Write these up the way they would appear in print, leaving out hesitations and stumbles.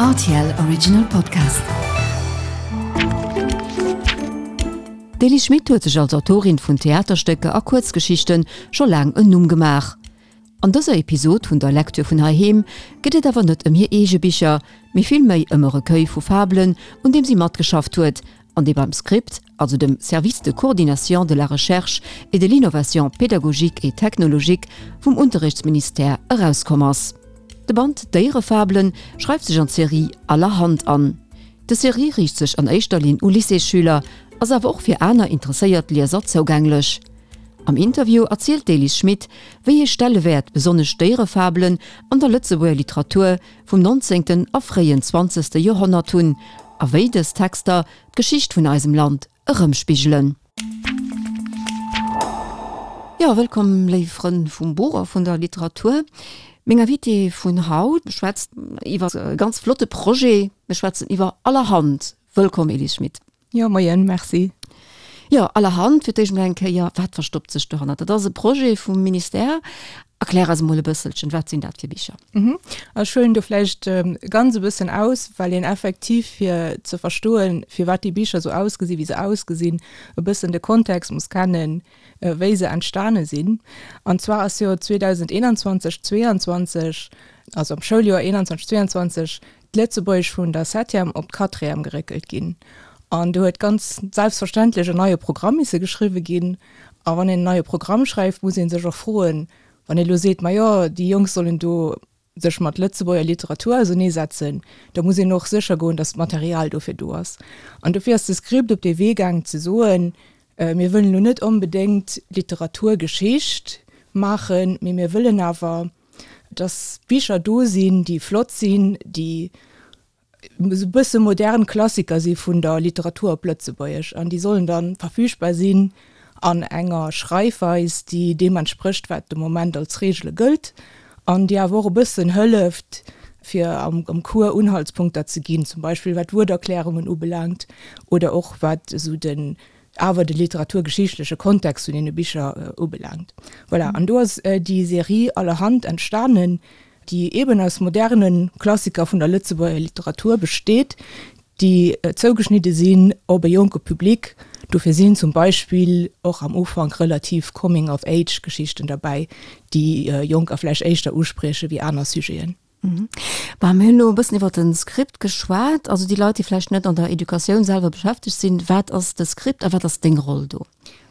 Rtl Original Podcast. D'Elie Schmit huet sech als Autorin vun Theaterstécker a Kuerzgeschichte scho laang en Numm gemaach. An dëser Episod vun der Lektür vun heiheem geet et awer net ëm hir eege Bicher, mee villméi ëm e Recueil vu Fabelen, un deem si matgeschafft huet an dee beim Script, also dem Service de coordination de la recherche et de l'innovation pédagogique et technologique vum Unterrichtsministère, erauskomm ass. De Band Déierefabelen schreift sech an d'Serie Allerhand an. Des Serie riicht sech an éischter Linn u Lycéesschüler, ass awer och fir aner interesséiert Lieser zougänglech. Am Interview erzielt d'Elise Schmit, wéi ee Stellewäert besonnesch d'Déierefabelen an der Lëtzebuerger Literatur vum nonzéngten a fréien zwanzegste Joerhonnert hunn a wéi dës Texter d'Geschicht vun eisem Land erëmspigelen. Jo, wëllkomm léif Frënn vum Buch a vun der Literatur. Meng Invitée vun haut schwätzt iwwer e ganz flotte Projet. Mir schwätzen iwwer Allerhand. Wëllkomm Elise Schmit. Jo, moien, merci. Jo, allerhand, fir d'éischt mol eng Kéier, wat verstoppt sech dohannert? Dat ass e Projet vum Ministère. Erklär eis emol e bësselchen, wat sinn dat fir Bicher? Mhm. Ech huelen do vläicht ganz e bëssen aus, well een effektiv, fir ze verstoen, firwat déi Bicher esou ausgesinn, wéi se ausgesinn, e bëssen de Kontext muss kennen, wéi se entstane sinn. An zwar ass jo 2021, 22, also am Schouljoer 21, 22, d'Lëtzebuergesch vun der Septième op d'Quatrième geréckelt ginn. An do huet ganz selbstverständlech en neie Programm misse geschriwwe ginn. A wann een en neie Programm schreift, muss ee sech och froen, wann ee lo seet, majo, déi Jonk sollen do sech mat Lëtzebuerger Literatur auserneesetzen, da muss een och sécher goen, datt d'Material dofir do ass. An dofir ass de Script op dee Wee gaang ze soen, mir wëllen elo net onbedéngt Literaturgeschicht maachen, mee mir wëllen awer, dass Bicher do sinn, déi flott sinn, déi esou e bësse modern Klassiker si vun der Literatur op Lëtzebuergesch an déi sollen da verfügbar sinn an enger Schreifweis, déi deem entsprécht, wat de Moment als Reegele gëllt an déi awer och e bëssen hëlleft, fir am Cours Unhaltspunkter ze ginn, zum Beispill wat Wuerterklärungen ubelaangt oder och wat esou den awer de literaturgeschichtleche Kontext vun deene Bicher ubelaangt. Voilà, an do ass déi Serie Allerhand entstanen, déi eeben aus moderne Klassiker vun der Lëtzebuerger Literatur besteet, déi zougeschnidde sinn op e jonke Public. Dofir sinn zum Beispill och am Ufank relativ Coming-of-Age-Geschichten derbäi, déi Jonker vläicht éischter usprieche wéi aner Sujeten. Bah, mir hunn elo e bëssen iwwer de Script geschwat. Also déi Leit, déi vläicht net an der Educatioun selwer beschäftegt sinn, wat ass de Script a wat ass deng Roll do?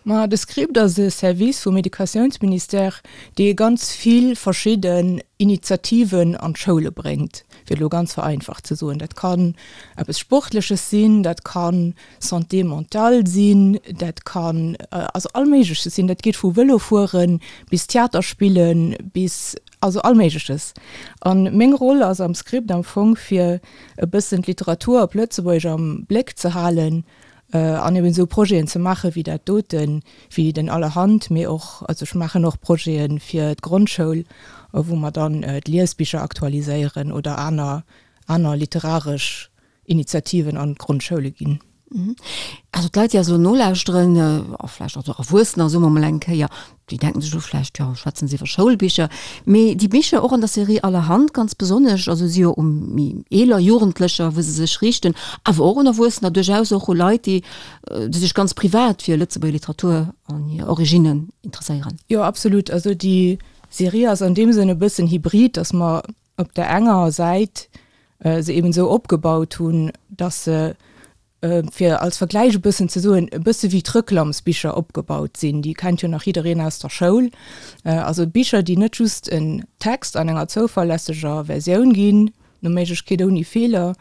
Ma de Script ass e Service vum Educatiounsministère, dee ganz vill verschidden Initiativen an d'Schoule bréngt, fir elo ganz vereinfacht ze soen. Dat kann eppes Sportleches sinn, dat ka Santé mentale sinn, dat kann also all Méigleches sinn. Dat geet vu Vëlofuere bis Theater spillen bis Also all Méigleches. A meng Roll ass am Script am Fong fir e bëssen d'Literatur op Lëtzebuergesch am Bléck ze halen an eben esou Projeten ze maache wéi dat doten, wéi den Allerhand, mee och, also ech maachen och Projete fir d'Grondschoul, wou mer dann d'Liesbicher aktualiséieren oder aner, aner literaresch Initiativen an d'Grondschoule ginn. Also d'Leit, déi eis elo nolauschteren, a vläicht och Erwuessener, soe mer mol eng Kéier, déi denken sech elo vläicht, jo, schwätzen se iwwer Schoulbicher. Mee déi Bicher, och an der Serie Allerhand ganz besonnesch, also si jo u méi eeler Jugendlecher, wou se sech riichten, awer och un Erwuessener, duerchaus och u Leit, déi déi sech ganz privat fir Lëtzebuerger Literatur an hir Originnen interesséieren. Jo, absolut. Also déi Serie ass an deem Sënn e bëssen hybrid, datt mer op der enger Säit se eben esou opgebaut hunn, dass se, fir als Vergläich e bëssen ze soen, e bësse wéi d'Reklamsbicher opgebaut sinn. Déi kennt jo nach jiddereen aus der Schoul. Also Bicher, déi net just en Text an enger zouverlässeger Versioun ginn, no Méiglechkeet ouni Feeler,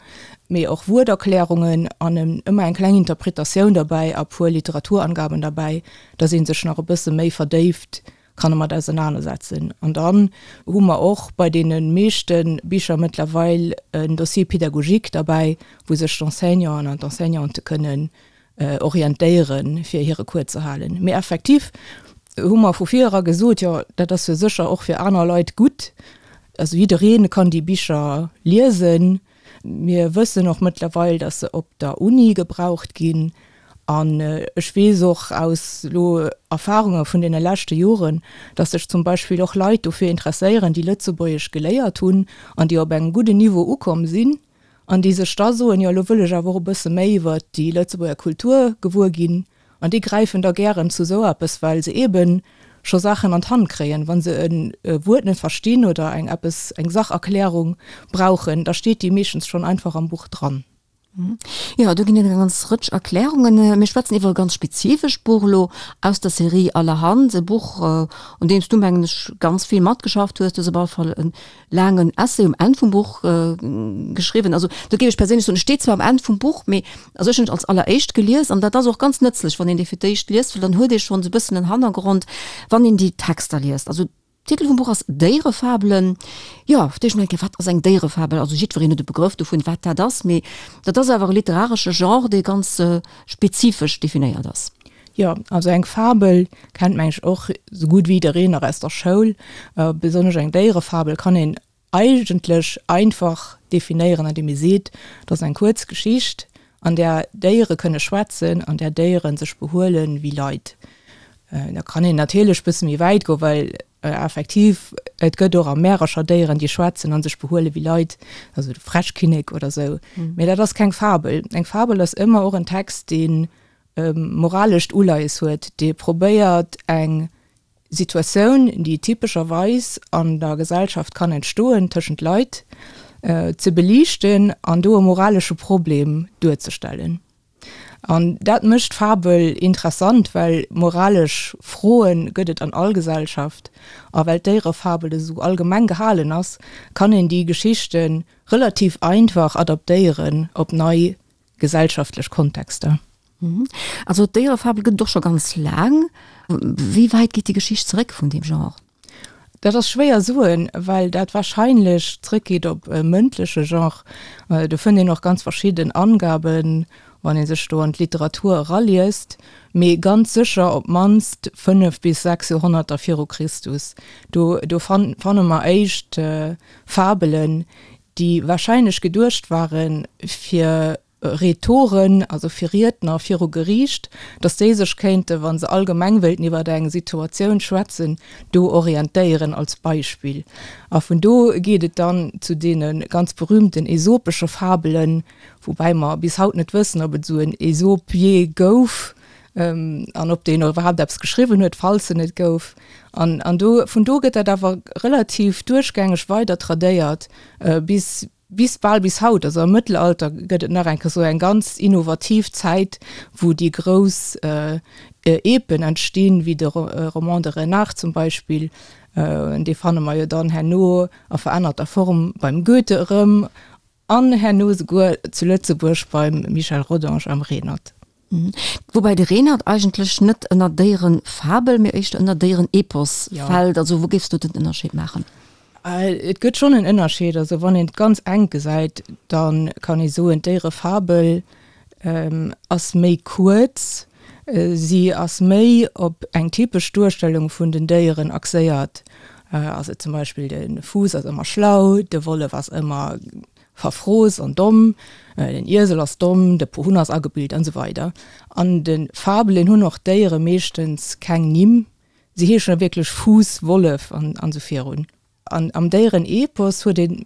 mee och Wuerterklärungen an ëmmer eng kleng Interpretatioun derbäi a puer Literaturangaben derbäi, dass ee sech nach e bësse méi verdéift kann e mat ausernanersetzen. An dann hu mer och bei deene meeschte Bicher mëttlerweil en Dossier pédagogique derbäi, wou sech d'Enseignanten an d'Enseignante kënnen orientéieren, fir hire Cours ze halen. Mee effektiv hu mer vu vir era gesot, jo, dat ass jo sécher och fir aner Leit gutt. Also jidderee kann déi Bicher liesen. Mir wëssen och mëttlerweil, dass se op der Uni gebraucht ginn. An ech weess och aus elo Erfahrunge vun deene leschte Joren, dass sech zum Beispill och Leit dofir interesséieren, déi Lëtzebuergesch geléiert hunn an déi op engem gudden Niveau ukomm sinn. An déi sech da soen, jo elo wëll ech awer och e bësse méi iwwert déi Lëtzebuerger Kultur gewuer ginn. An déi gräifen da gären zu esou eppes, well se eebe scho Saachen an d'Hand kréien. Wa se e Wuert net verstinn oder eng eppes, eng Sacherklärung brauchen, da steet déi meeschtens schonn einfach am Buch dran. Jo, do ginn et eng ganz Rëtsch Erklärungen. Mir schwätzen iwwer e ganz spezifescht Buch elo aus der Serie Allerhand, e Buch, un deem s du, mengen ech, ganz vill matgeschafft hues. Du hues op alle Fall e laangen Essay um Enn vum Buch geschriwwen. Also do géif ech perséinlech soen, e steet zwar um Enn vum Buch, mee also ech hunn et als alleréischt gelies an dat ass och ganz nëtzlech, wann een dee fir d'éischt liest, well dann huet ee schonns e bëssen en Hannergrond, wann een déi Texter liest. Also Titel vum Buch ass Déierefabelen. Jo, fir d'éischt mol eng Kéier, wat ass eng Déierefabel? Also jiddwereen huet e Begrëff dovun, wat dat ass, mee dat ass awer e literaresche Genre, dee ganz spezifesch definéiert ass. Jo, also eng Fabel kennt meng ech och esou gutt wéi jiddereen nach aus der Schoul. Besonnesch eng Déierefabel kann een eigentlech einfach definéieren, andeem ee seet, et ass eng kuerz Geschicht, an där Déiere kënne schwätzen, an där Déiere sech behuele wéi Leit. Da kann een natierlech e bësse méi wäit goen, well effektiv et gëtt och a Märercher Déieren, déi schwätzen a sech behuele wéi Leit, also de Fräschkinnek oder esou. Mee dat ass keng Fabel. Eng Fabel ass ëmmer och en Text, dee moralescht Uleies huet, dee probéiert eng Situatioun, déi typescherweis an der Gesellschaft kann entstoen tëschent Leit, ze beliichten an do e moralesche Problem duerzestellen. An dat mécht d'Fabel interessant, well moralesch Froe gëtt et an all Gesellschaft. A well d'Déierefabel esou allgemeng gehalen ass, kann een déi Geschichte relativ einfach adaptéieren op nei gesellschaftlech Kontexter. Also d'Déierefabel gëtt et och scho ganz laang. Wéi wäit geet déi Geschicht zeréck vun deem Genre? Dat ass schwéier soen, well dat warscheinlech zréckgeet op e mëndleche Genre. Do fënnt een och ganz verschidden Angaben, wann ee sech do an d'Literatur eraliest, mee ganz sécher op d'mannst 5 bis 6 Joerhonnerter viru Christus. Do do fanne mer éischt Fabelen, déi warscheinlech geduecht ware fir Rhetoren, also fir Riedner viru Geriicht, datt déi sech kéinte, wa se allgemeng wéilten iwwer eng Situatioun schwätzen, do orientéieren als Beispill. A vun do geet et dann zu deene ganz berühmten aesopesche Fabelen, woubäi mer bis haut net wëssen, ob et esou en Aesop jee gouf an ob deen iwwerhaapt eppes geschriwwen huet, falls en et gouf. An an do, vun do gëtt dat awer relativ duerchgängeg weider tradéiert bis bis bal bis haut. Also am Mëttelalter gëtt et nach eng Kéier sou eng ganz innovativ Zäit, wou déi grouss Epen entstinn, wéi de Roman de Renart zum Beispill. Dee fanne mer jo dann herno a verännerter Form beim Goethe erëm an herno souguer zu Lëtzebuerg beim Michel Rodange am Renert. Woubäi de Renert eigentlech net ënner Déierenfabel, mee éischter ënner Déierenepos fält. Also wou géifs du den Ënnerscheed maachen? Et gëtt schonn en Ënnerscheed. Also wann een et ganz enk gesäit, da kann ee soen, d'Déierefabel ass méi kuerz, si ass méi op eng typesch Duerstellung vun den Déieren axéiert. Also zum Beispill de Fuuss ass ëmmer schlau, de Wollef ass ëmmer verfrooss an domm, den Iesel ass domm, de Pohunn ass agebilt an esou weider. An de Fabelen hunn och d'Déiere meeschtens keng Nimm, si heeschen da wierklech Fuuss, Wollef an esou virun. An am Déierenepos huet een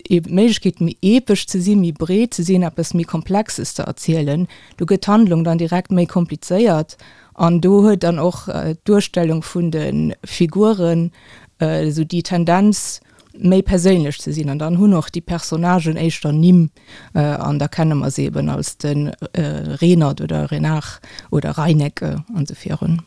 eben d'Méiglechkeet méi epesch ze sinn, méi breet ze sinn, eppes méi Komplexes ze erzielen. Do gëtt d'Handlung dann direkt méi komplizéiert an do huet dann och d'Duerstellung vun de Figuren esou déi Tendenz, méi perséinlech ze sinn an dann hunn och déi Personnagen éischter Nimm an da kenne mer se eben als de Renert oder Renard oder Reineke an esou virun.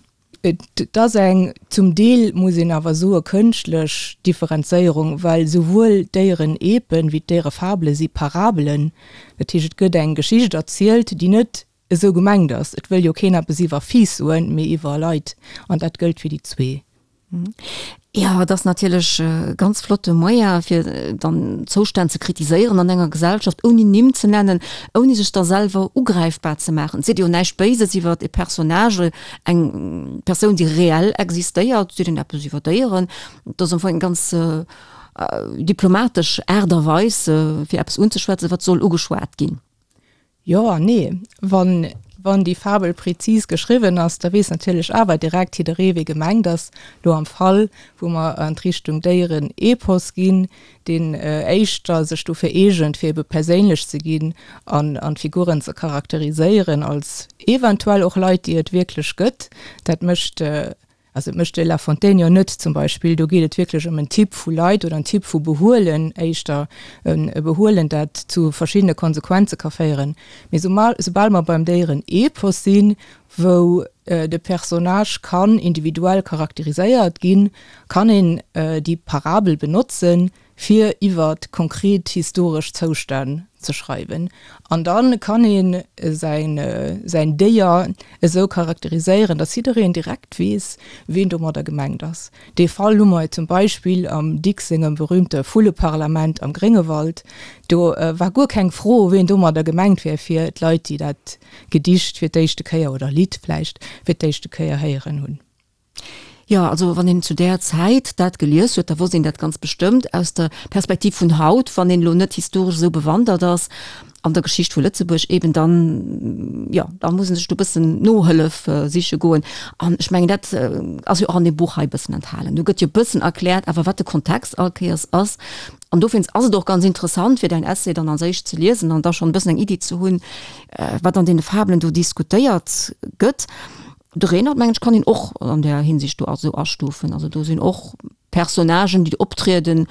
Et ass eng, zum Deel muss een awer soe kënschtlech Differenzéierung, well souwuel d'Déierenepen wéi d'Déierefabele si Parabelen, dat heescht et gëtt eng Geschicht erzielt, déi net esou gemengt ass. Et wëll jo keen eppes iwwer Fiiss soen, mee iwwer Leit an dat gëllt fir déi zwee. Jo, et ass natierlech e ganz flotte Moyen, fir dann Zoustänn ze kritiséieren an enger Gesellschaft, ouni Nimm ze nennen, ouni sech da selwer ugräifbar ze maachen. Et seet jo näischt Béises iwwer e Personnage, eng Persoun, déi reell existéiert, et seet een eppes iwwer Déieren. Et ass am Fong eng ganz diplomatesch Aart a Weis, fir eppes unzeschwätzen, wat soll ugeschwat ginn. Jo an nee. Wann Wann déi Fabel prezis geschriwwen ass, da weess natierlech awer direkt jidderee wee gemengt ass. Lo am Fall wou mer an d'Richtung Déieren-Epos ginn, deen éischter sech dofir eegent fir ebe perséinlech ze ginn an an d'Figuren ze charakteriséieren als eventuell och Leit déi et wierklech gëtt. Dat mécht Also et mécht de La Fontaine jo net zum Beispill. Do geet et wierklech ëm en Typ vu Leit oder en Typ vu Behuelen éischter, e Behuelen, dat zu verschiddene Konsequenze ka féieren. Mee soubal mer beim Déieren-Epos sinn, wou de Personnage kann individuell charakteriséiert ginn, kann een déi Parabel benotzen, fir iwwer konkret historesch Zoustänn ze schreiwen. An da kann ee säin Déier esou charakteriséieren, datt jiddereen direkt weess, ween domadder gemengt ass. Dee Fall hu mer zum Beispill am Dicks sengem berühmte Vulleparlament am Gréngewald. Do war guer keng Fro, ween domadder gemengt wär fir d'Leit, déi dat Gedicht fir d'éischte Kéier, oder Lidd vläicht, fir d'éischte Kéier héieren hunn. Jo, also wann een zu där Zäit dat gelies huet, da wosst een dat ganz bestëmmt. Aus der Perspektiv vun haut, wann een elo net historesch esou bewandert ass an der Geschicht vu Lëtzebuerg eben, dann, jo, da muss een sech do e bëssen Nohëllef siche goen. An ech mengen, dat ass jo och an deem Buch hei e bëssen enthalen. Do gëtt jo e bëssen erkläert awer, wat de Kontext all Kéiers ass. An dowéinst ass et och ganz interessant, fir däin Essay dann als éischt ze liesen an da schonn e bëssen eng Iddi ze hunn, wat an deene Fabelen do diskutéiert gëtt. De Renert, mengen ech, kann een och an där Hinsicht do esou astufen. Also do sinn och Personnagen, déi do optrieden,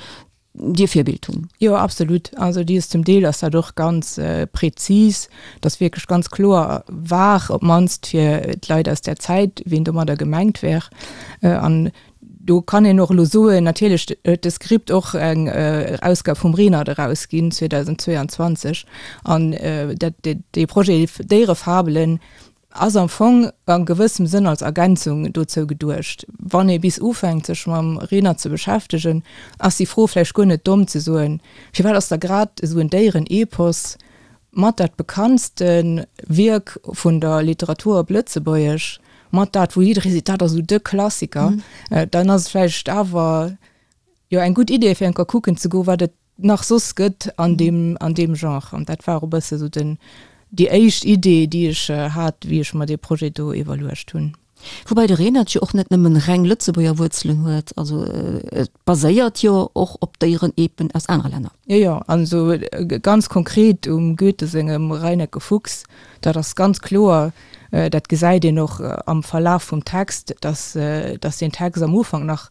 déi e Virbild hunn. Jo, absolut. Also déi ass zum Deel ass dat och ganz prezis, dass wierklech ganz kloer war, op d'mannst fir d'Leit aus där Zäit, wien domadder gemengt wär. An do kann een och elo soen, natierlech huet de Script och eng Ausgab vum Renert erausginn 2022 an dat dee Projet Déierefabelen, Ass am Fong a gewëssem Sënn als Ergänzung dozou geduecht. Wann ee bis ufänkt sech mam Renert ze beschäftegen, ass déi Fro vläicht guer net domm ze soen, Firwat ass da grad esou en Déieren-Epos mat dat bekanntste Wierk vun der Literatur op Lëtzebuergesch, mat dat wou jidderee seet, dat ass esou de Klassiker, dann ass et vläicht awer jo eng gutt Idee fir eng Kéier kucken ze goen, wat et nach soss gëtt an deem, an deem Genre. An dat war och e bësse sou den, déi éischt Idee, déi ech hat, wéi ech mer dee Projet do iwwerluecht hunn. Woubäi de Renert jo och net nëmmen reng Lëtzebuerger Wuerzelen huet, also et baséiert jo och op Déierenepen aus anere Länner. Jo, jo, an esou ganz konkret um Goethe sengem Reineke Fuchs, dat ass ganz kloer, dat gesäit een och am Verlaf vum Text, dass, dass deen Text am Ufank nach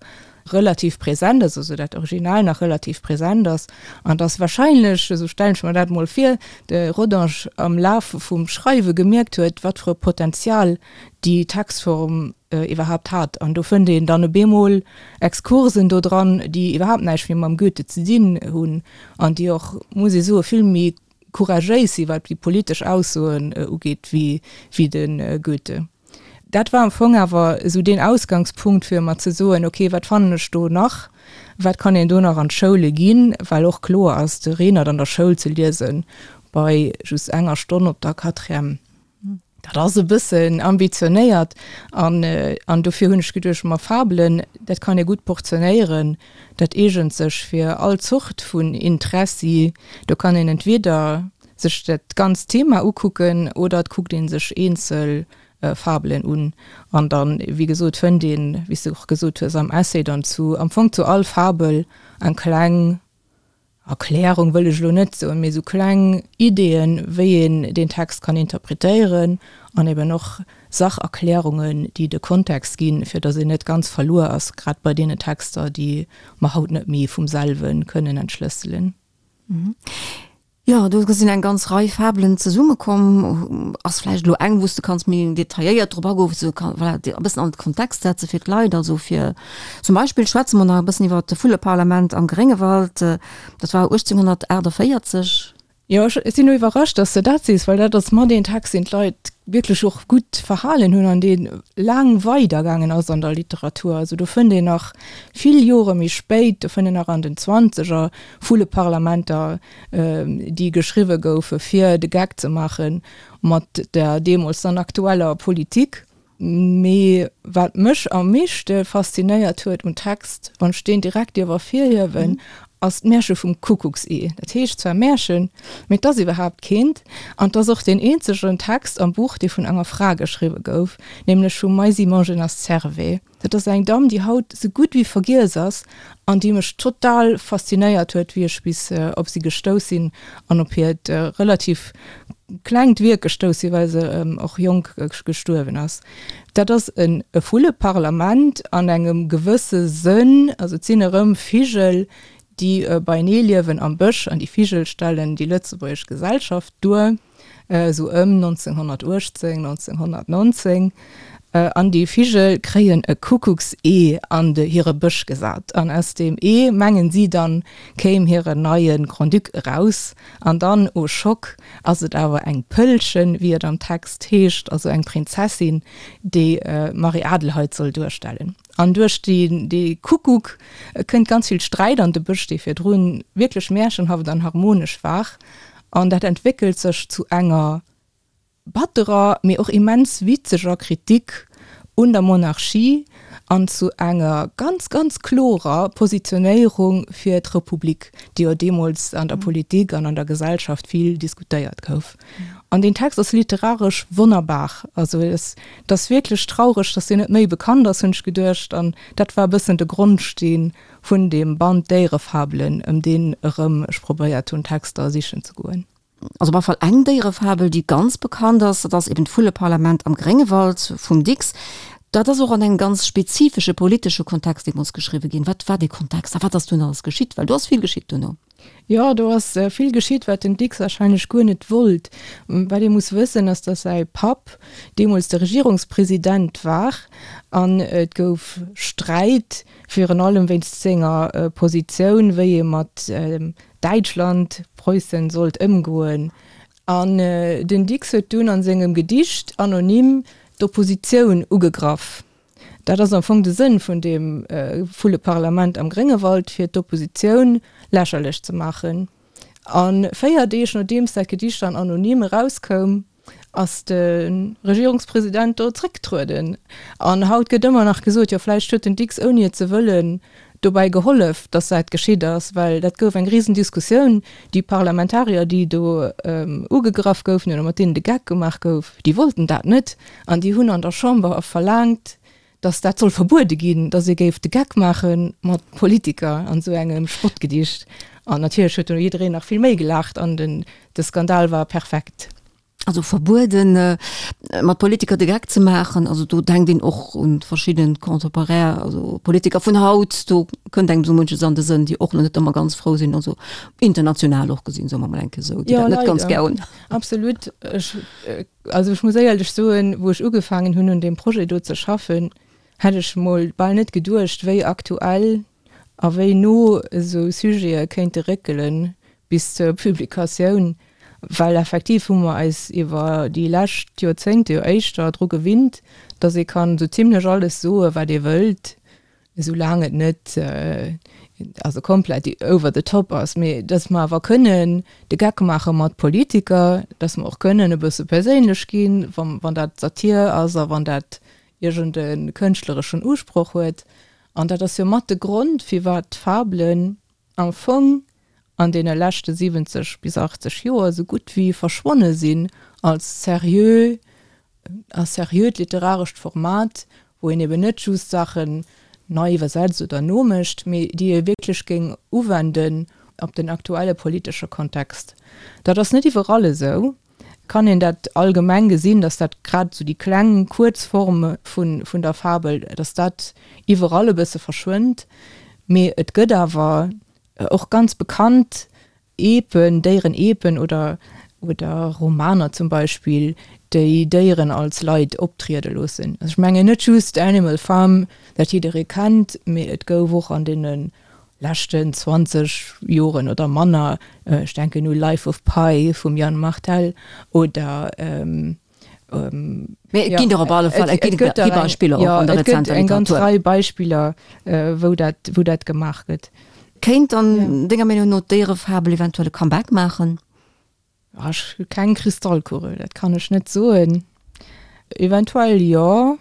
relativ präsent ass, also dat Original nach relativ präsent ass, an dass wahrscheinlech, esou stellen ech mer dat mol vir, de Rodange am Laf vum Schreiwe gemierkt huet, wat fir e Potenzial déi Textform iwwerhaapt hat. An do fënnt een dann op eemol Exkursen do dran, déi iwwerhaapt näischt méi mam Goethe ze dinn hunn an déi och, muss ee soen, vill méi couragéis sinn, wat déi politesch Aussoen ugeet, wéi de Goethe. Dat war am Fong awer esou deen Ausgangspunkt, fir mer ze soen, ok, wat fannen ech do nach, wat kann een do nach an d'Schoule ginn, well och kloer ass, de Renert an der Schoul ze liese bei just enger Stonn op der Quatrième, dat ass e bëssen ambitionéiert. An, an dofir hunn ech geduecht, ma Fabelen, dat kann ee gutt portionéieren, dat eegent sech fir all Zort vun Interessi. Do kann een entweder sech dat ganzt Thema ukucken oder et kuckt ee sech eenzel Fabelen un. An dann, wéi gesot, fënnt een, wéi s de och gesot hues am Essay, dann zu, am Fong zu all Fabel eng kleng Erklärung wëll ech elo net soen, mee esou kleng Ideeën, wéi een deen Text kann interpretéieren an eben och Sacherklärungen, déi de Kontext ginn, fir datt een net ganz verluer ass, grad bei deene Texter, déi mer haut net méi vum selwe kënnen entschlësselen. Jo, do sinn eng ganz Rei Fabelen zesummekomm. Ass vläicht elo eng, wou s de kanns méi detailléiert drop agoen, wou s de kann, voilà, e bëssen an de Kontext setze fir d'Leit. Also fir zum Beispill schwätze mer nach e bëssen iwwer d'Vulleparlament am Gréngewald. Dat war 1848. Jo, ech sinn elo iwwerrascht, dass de dat sees, well dat ass mat een Text, deen d'Leit wierklech och gutt verhalen hunn an dee laang weidergaangen ass an der Literatur. Also do fënnt een nach vill Jore méi spéit, do fënnt een nach an den Zwanzeger Vulleparlamenter, déi geschriwwe goufe fir de Geck ze maache mat der deemools dann aktueller Politik. Mee wat mech am meeschte faszinéiert huet um Text, wann ech deen direkt dierf ervirhiewen, mhm. ass d'Märche vum Kuckucksee. Dat heescht zwar Märchen, mee et ass iwwerhaapt keent. An et ass och deen eenzegen Text am Buch, dee vun enger Fra geschriwwe gouf, nämlech vum Maisy Mongenas-Servais. Dat ass eng Damm, déi haut sou gutt wéi vergiess ass an déi mech total faszinéiert huet, wéi ech bis op si gestouss sinn an op hiert relativ klengt Wierk gestouss sinn, well se och jonk gestuerwen ass. Dat ass e Vulleparlament an engem gewësse Sënn, also et sinn erëm Vigel, déi beienee liewen am Bësch an déi Vigel stellen déi lëtzebuergesch Gesellschaft duer. esou ëm 1918, 1919, an déi Vigel kréien e Kuckucksee an de hire Bësch gesat, an aus deem Ee, mengen si dann, kéim hiren neie Grand-Duc eraus, an dann, oh Schock, ass et awer eng Pëllchen, wéi et am Text heescht, also eng Prinzessin, déi d'Marie-Adelheid soll duerstellen. An duerch dee Kuckuck kënnt ganz vill Sträit an de Bësch, dee virdrun wierklech märchenhaft an harmonesch war. An dat entwéckelt sech zu enger batterer, mee och immens witzeger Kritik un der Monarchie an zu enger ganz, ganz klorer Positionéierung fir d'Republik, déi jo deemools an der Politik an an der Gesellschaft vill diskutéiert gouf. An deen Text ass literaresch wonnerbar. Also et ass wierklech traureg, datt deen net méi bekannt ass, hunn ech geduecht. An dat war e bëssen de Grondsteen vun deem Band Déierefabelen, ëm deen erëm ech probéiert hunn, Texter sichen ze goen. Also op alle Fall eng Déierefabel, déi ganz bekannt ass, dat ass eben d'Vulleparlament am Gréngewald vum Dicks. Dat ass och an engem ganz spezifesche politesche Kontext deemools geschriwwe ginn. Wat war dee Kontext a wat ass dunn alles geschitt? Well do ass vill geschitt duerno. Jo, do ass vill geschitt, wat den Dicks warscheinlech guer net wollt. Wat ee muss wëssen, ass, datt säi Papp deemools de Regierungspresident war an et gouf Sträit, virun allem wéinst senger Positioun, wéi ee mat Däitschland, Preussen, sollt ëmgoen. An den Dicks huet dunn a sengem Gedicht anonym d'Oppositioun ugegraff. Dat ass am Fong de Sënn vun deem Vulleparlament am Gréngewald, fir d'Oppositioun lächerlech ze maachen. A 4 Deeg nodeems dat Gedicht dann anonym erauskoum, ass de Regierungspresident do zréckgetrueden. An haut gëtt ëmmer nach gesot, jo vläicht huet den Dicks, ouni et ze wëllen, dobäi gehollef, datt dat geschitt ass, well dat gouf eng Risendiskussioun. Déi Parlamentarier, déi do ugegraff goufen oder mat deenen de Geck gemaach gouf, déi wollten dat net an déi hunn an der Chamber verlaangt, datt dat soll verbuede ginn, datt ee géif de Geck maache mat Politiker an esou engem Spottgedicht. An natierlech huet do jiddereen nach vill méi gelaacht an den de Skandal war perfekt. Also verbueden, mat Politiker de Geck ze maachen, also do denkt een och un verschidden Contemporaire, also Politiker vun haut, do kënnt engem esou munches an de Sënn, déi och net ëmmer ganz frou sinn, also international och gesinn, soe mer mol eng Kéier esou, déi dat net ganz gär hunn. Absolut. Ech, also ech muss éierlech soen, wou ech ugefaangen hunn un deem Projet do ze schaffen, hätt ech mol bal net geduecht, wéi aktuell a wéi no esou Sujete kéinte réckelen bis zur Publikatioun, well effektiv hu mer eis iwwer déi lescht Joerzéngte jo éischter dru gewinnt, datt ee kann esou zimlech alles soe wat ee wëllt, esou laang et net also komplett over the top ass, mee datt mer awer kënnen de Geck maache mat Politiker, datt mer och kënnen e bësse perséinlech ginn, wann dat Satir ass a wann dat iergend e kënschtlereschen Usproch huet. An dat ass jo mat de Grond, firwat d'Fabelen am Fong an deene leschte 70 bis 80 Joer esou gutt wéi verschwonne sinn als seriö, als seriöt literarescht Format, wou een eben net just Saachen nei iwwersetzt oder nomécht, mee déi ee wierklech géing uwenden op den aktuelle politesche Kontext. Dat ass net iwwerall esou. Kann een dat allgemeng gesinn, dass dat grad esou déi kleng, kuerz Form vun der Fabel, dass dat iwwerall e bësse verschwënnt. Mee et gëtt awer och ganz bekannt Epen, Déierenepen oder oder Romaner zum Beispill, déi Déieren als Leit optriede loossen. Also ech mengen net just Animal Farm, dat jidderee kennt, mee et gouf och an deene leschten 20 Joren oder manner, ech denken u Life of Pi vum Yann Martel oder Mee et ginn der op alle Fall, et gi Beispiller och an der rezenter Literatur. Et gëtt eng ganz Rei Beispiller, wou dat, wou dat gemaach gëtt. Kéint dann denger Meenung no d'Déierefabel eventuell e Comeback maachen? Ech hu keng Kristallkugel, dat kann ech net soen. Eventuell jo.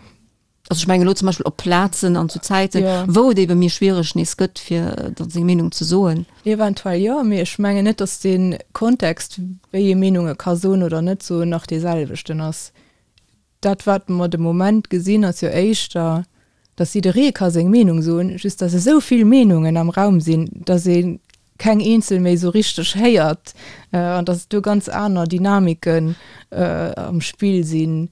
Also ech mengen elo zum Beispill op Plazen an zu Zäiten, Ja. wou et ebe méi schwiereg nees gëtt, fir dann seng Meenung ze soen. Eventuell jo, mee ech mengen net, datt dee Kontext, wéi ee Meenunge ka soen oder net soen, nach dee selwechten ass. Dat wat mer de Moment gesinn, ass jo éischter, datt jidderee ka seng Meenung soen, just datt esou vill Meenungen am Raum sinn, datt ee keng eenzel méi esou richteg héiert an datt do ganz aner Dynamiken am Spill sinn.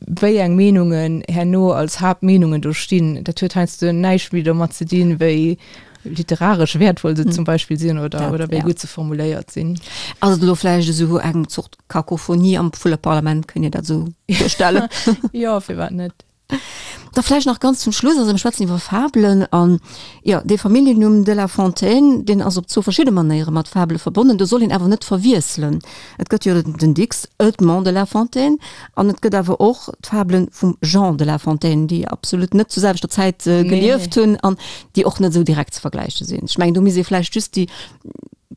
Wéi eng Meenungen herno als Haaptmeenungen do stinn, dat huet heiansdo näischt méi domat ze dinn, wéi literaresch wäertvoll se zum Beispill sinn oder, oder wéi gutt se formuléiert sinn. Ass et elo vläicht esou eng Zort Kakophonie am Vulleparlament, kënnt Dir dat esou duerstellen? Jo, firwat net? Da vläicht nach ganz zum Schluss, also mir schwätzen iwwer Fabelen an, jo, dee Familljennumm de la Fontaine, deen ass op zwou verschidde Manéiere mat Fabele verbonnen. Do soll een awer net verwiesselen. Et gëtt jo den Dicks Edmond de la Fontaine an et gëtt awer och d'Fabele vum Jean de la Fontaine, déi absolut net zur selwechter Zäit gelieft hunn an déi och net esou direkt ze vergläiche sinn. Ech mengen, do misst ee vläicht just déi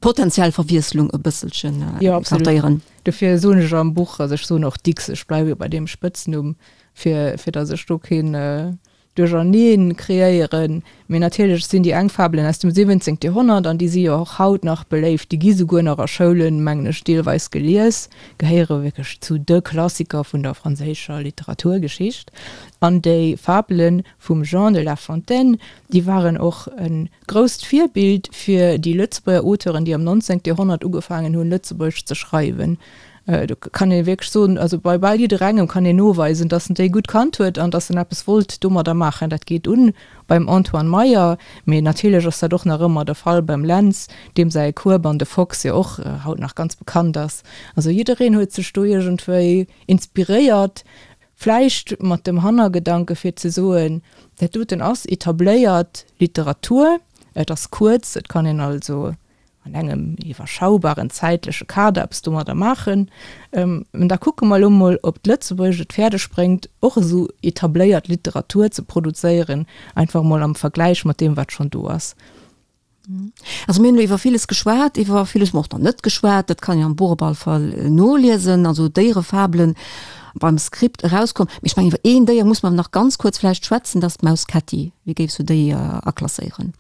potenziell Verwiesslung e bësselchen écartéieren. Dofir soen ech am Buch, also ech soen och Dicks, ech bleiwe jo bei deem Spëtznumm, fir, fir datt ech do keen Duercherneen kreéieren. Mee natierlech sinn déi eng Fabelen aus dem 17. Joerhonnert an déi si jo och haut nach beléift, déi gi souguer nach a Schoulen, mengen ech, deelweis gelies, gehéiere wierklech zu de Klassiker vun der franséischer Literaturgeschicht. An déi Fabele vum Jean de La Fontaine, déi waren och e grousst Virbild fir déi Lëtzebuerger Auteuren, déi am 19. Joerhonnert ugefaangen hunn, Lëtzebuergesch ze schreiwen. Do kann ee wierklech soen, also bei bal jidderengem kann een noweisen, datt en déi gutt kannt huet an datt en eppes wollt domadder maachen. Dat geet un beim Antoine Meyer, mee natierlech ass dat och nach ëmmer de Fall beim Lentz, deem säi Kueb an de Fox jo och haut nach ganz bekannt ass. Also jiddereen huet sech do iergendwéi inspiréiert, vläicht mat dem Hannergedanke fir ze soen, dat doten ass etabléiert Literatur, et ass kuerz, et kann een also an engem iwwerschaubaren zäitleche Kader eppes domadder maachen. An da kucke mer elo mol, ob d'Lëtzebuergescht et fäerdeg bréngt, och esou etabléiert Literatur ze produzéieren, einfach emol am Vergläich mat deem, wat schonn do ass. Also mir hunn elo iwwer villes geschwat, iwwer villes hu mer och nach net geschwat. Dat kann een am Buch op alle Fall noliesen, also Déierefabelen beim Script erauskomm. Mee ech mengen, iwwer een Déier muss mer nach ganz kuerz vläicht schwätzen, dat ass d'Maus Ketti. Wéi géifs du déi aklasséieren?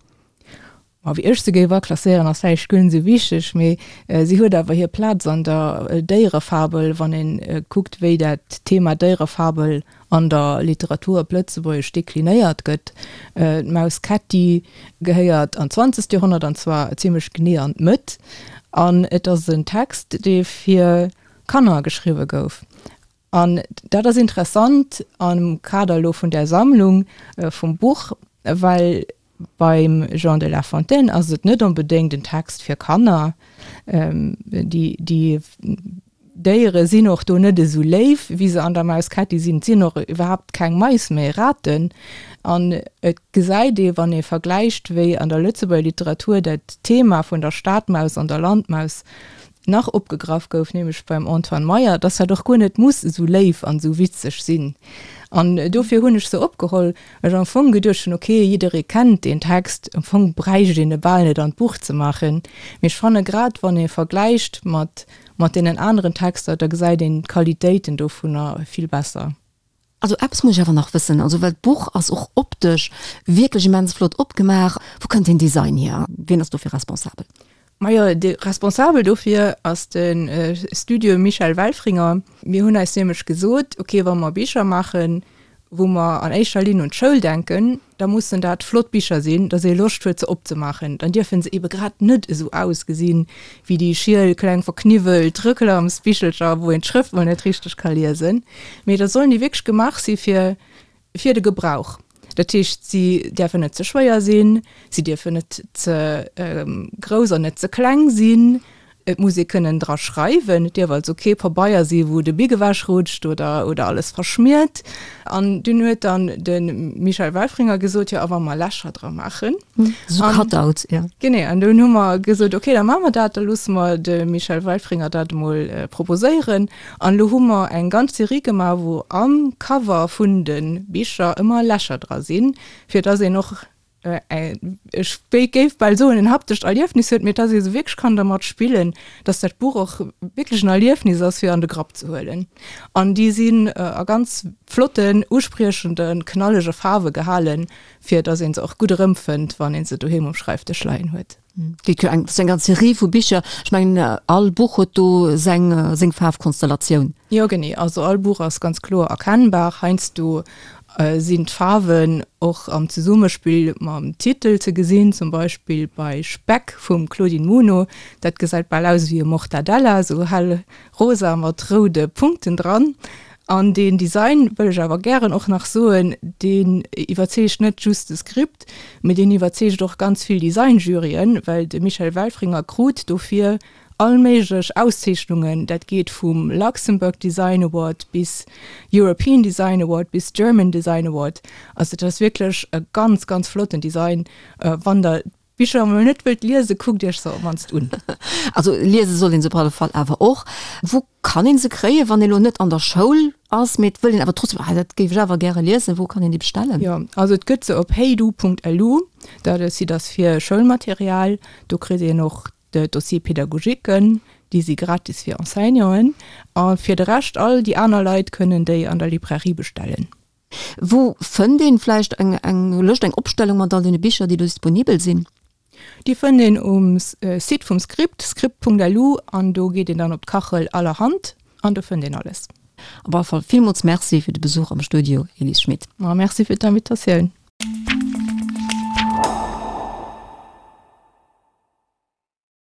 Ma wéi ech se géif aklasséieren ass vläicht guer net esou wichteg, mee si huet awer hir Plaz an der Déierefabel, wann een kuckt wéi dat Thema Déierefabel an der Literatur op Lëtzebuergesch deklinéiert gëtt. D'Maus Ketti gehéiert an d'zwanzegt Joerhonnert, an zwar zimmlech genee an d'Mëtt, an et ass en Text dee fir Kanner geschriwwe gouf. An dat ass interessant am Kader elo vun där Sammlung vum Buch, well beim Jean de La Fontaine ass et net onbedéngt en Text fir Kanner. Déi, déi Déiere sinn och do net esou léif, wéi se an der Maus Ketti sinn. Et sinn och iwwerhaapt keng Mais, mä Raten. An et gesäit ee, wann ee vergläicht, wéi an der Lëtzebuerger Literatur dat Thema vun der Stadmaus an der Landmaus nach opgegraff gouf, nämlech beim Antoine Meyer, dass dat och guer net muss esou léif an esou witzeg sinn. An dofir hunn ech se opgeholl, well ech am Fong geduecht hunn, ok, jidderee kennt deen Text, am Fong bräicht een e bal net an d'Buch ze maachen. Mee ech fanne grad, wann ee vergläicht mat mat deenen aneren Texter, da gesäit een d'Qualitéiten dovunner vill besser. Also eppes muss ech awer nach wëssen, also well d'Buch ass och optesch wierklech immens flott opgemaach. Wou kënnt deen Design hier? Wien ass dofir responsabel? Majo, de responsabel dofir ass de Studio Michel Welfringer. Mir hunn eis nämlech gesot, ok, wa mer Bicher maachen, wou mer an éischter Linn un d'Schoul denken, da mussen dat flott Bicher sinn, dass ee Loscht huet se opzemaachen. Dann dierfe se ebe grad net esou ausgesinn, wéi déi schiel, kleng, verkniwwelt Reklamsbichelcher, wou een d'Schrëft mol net richteg ka liesen, mee da sollen déi wierklech gemaach si fir fir de Gebrauch. Dat heescht, si däerfen net ze schwéier sinn, si dierfen net ze grouss an net ze kleng sinn, Et muss ee kënnen dra schreiwen, et dierf also kee Pabeier si wou de Bic ewech rutscht oder oder alles verschmiert. An dunn huet dann de Michel Welfringer gesot, jo a wa mer Lächer dra maachen? Esou Cutouts, jo. Genee, an dunn hu mer gesot, okay, da maache mer dat, da loosse mer de Michel Welfringer dat emol proposéieren. An elo hu mer eng ganz Serie gemaach, wou am Cover vun de Bicher ëmmer Lächer dra sinn, fir dass een och. Ech géif bal soen, en haptescht Erliefnis huet, mee dass ee sou wierklech kann dermat spillen, dass dat Buch och wierklech en Erliefnis ass, fir an de Grapp ze huelen. An déi sinn a ganz flotten, uspriechenden, knallege Faarwe gehalen, fir dass ee se och gutt erëmfënnt, wann ee se doheem um Schreifdësch leien huet. Geet jo eng, eng ganz Serie vu Bicher. Ech mengen, all Buch huet do seng, seng Faarfkonstellatioun. Jo, genee. Also all Buch ass ganz kloer erkennbar. Heiansdo sinn d'Faarwen och am Zesummespill mam Titel ze gesinn, zum Beispill bei Speck vum Claudine Muno. Dat gesäit bal aus ewéi e Mortadella, esou hell rosa mat roude Punkten dran. An deen Design, wëll ech awer gären och nach soen, deen iwwerzeegt net just de Script, mee deen iwwerzeegt och ganz vill Designjuryen, well de Michel Welfringer krut dofir all méiglech Auszeechnungen, dat geet vum Luxembourg Design Award bis European Design Award bis German Design Award. Also dat ass wierklech e ganz, ganz flotten Design. Wann der d'Bicher emol net wëllt liesen, kuckt iech se op mannst un. Also liese soll een se op alle Fall awer och. Wou kann een se kréien, wann ee lo net an der Schoul ass, mee et wëll een awer trotzdem, ah dat géif ech awer gäre liesen, wou kann een déi bestellen? Jo, also et gëtt se op heydu.lu, dat Site ass fir Schoulmaterial. Do kritt een och D'Dossiers pédagogiquen, déi si gratis fir Enseignanten. A fir de Rescht, all déi aner Leit kënnen déi an der Librairie bestellen. Wou fënnt een vläicht eng eng Lëscht, eng Opstellung mat all deene Bicher, déi do disponibel sinn? Déi fënnt een um Site vum Script, script.lu, an do geet een dann op d'Kachel Allerhand an do fënnt een alles. Op alle Fall villmools Merci fir de Besuch am Studio, Elise Schmit. Ma merci fir d'Invitatioun.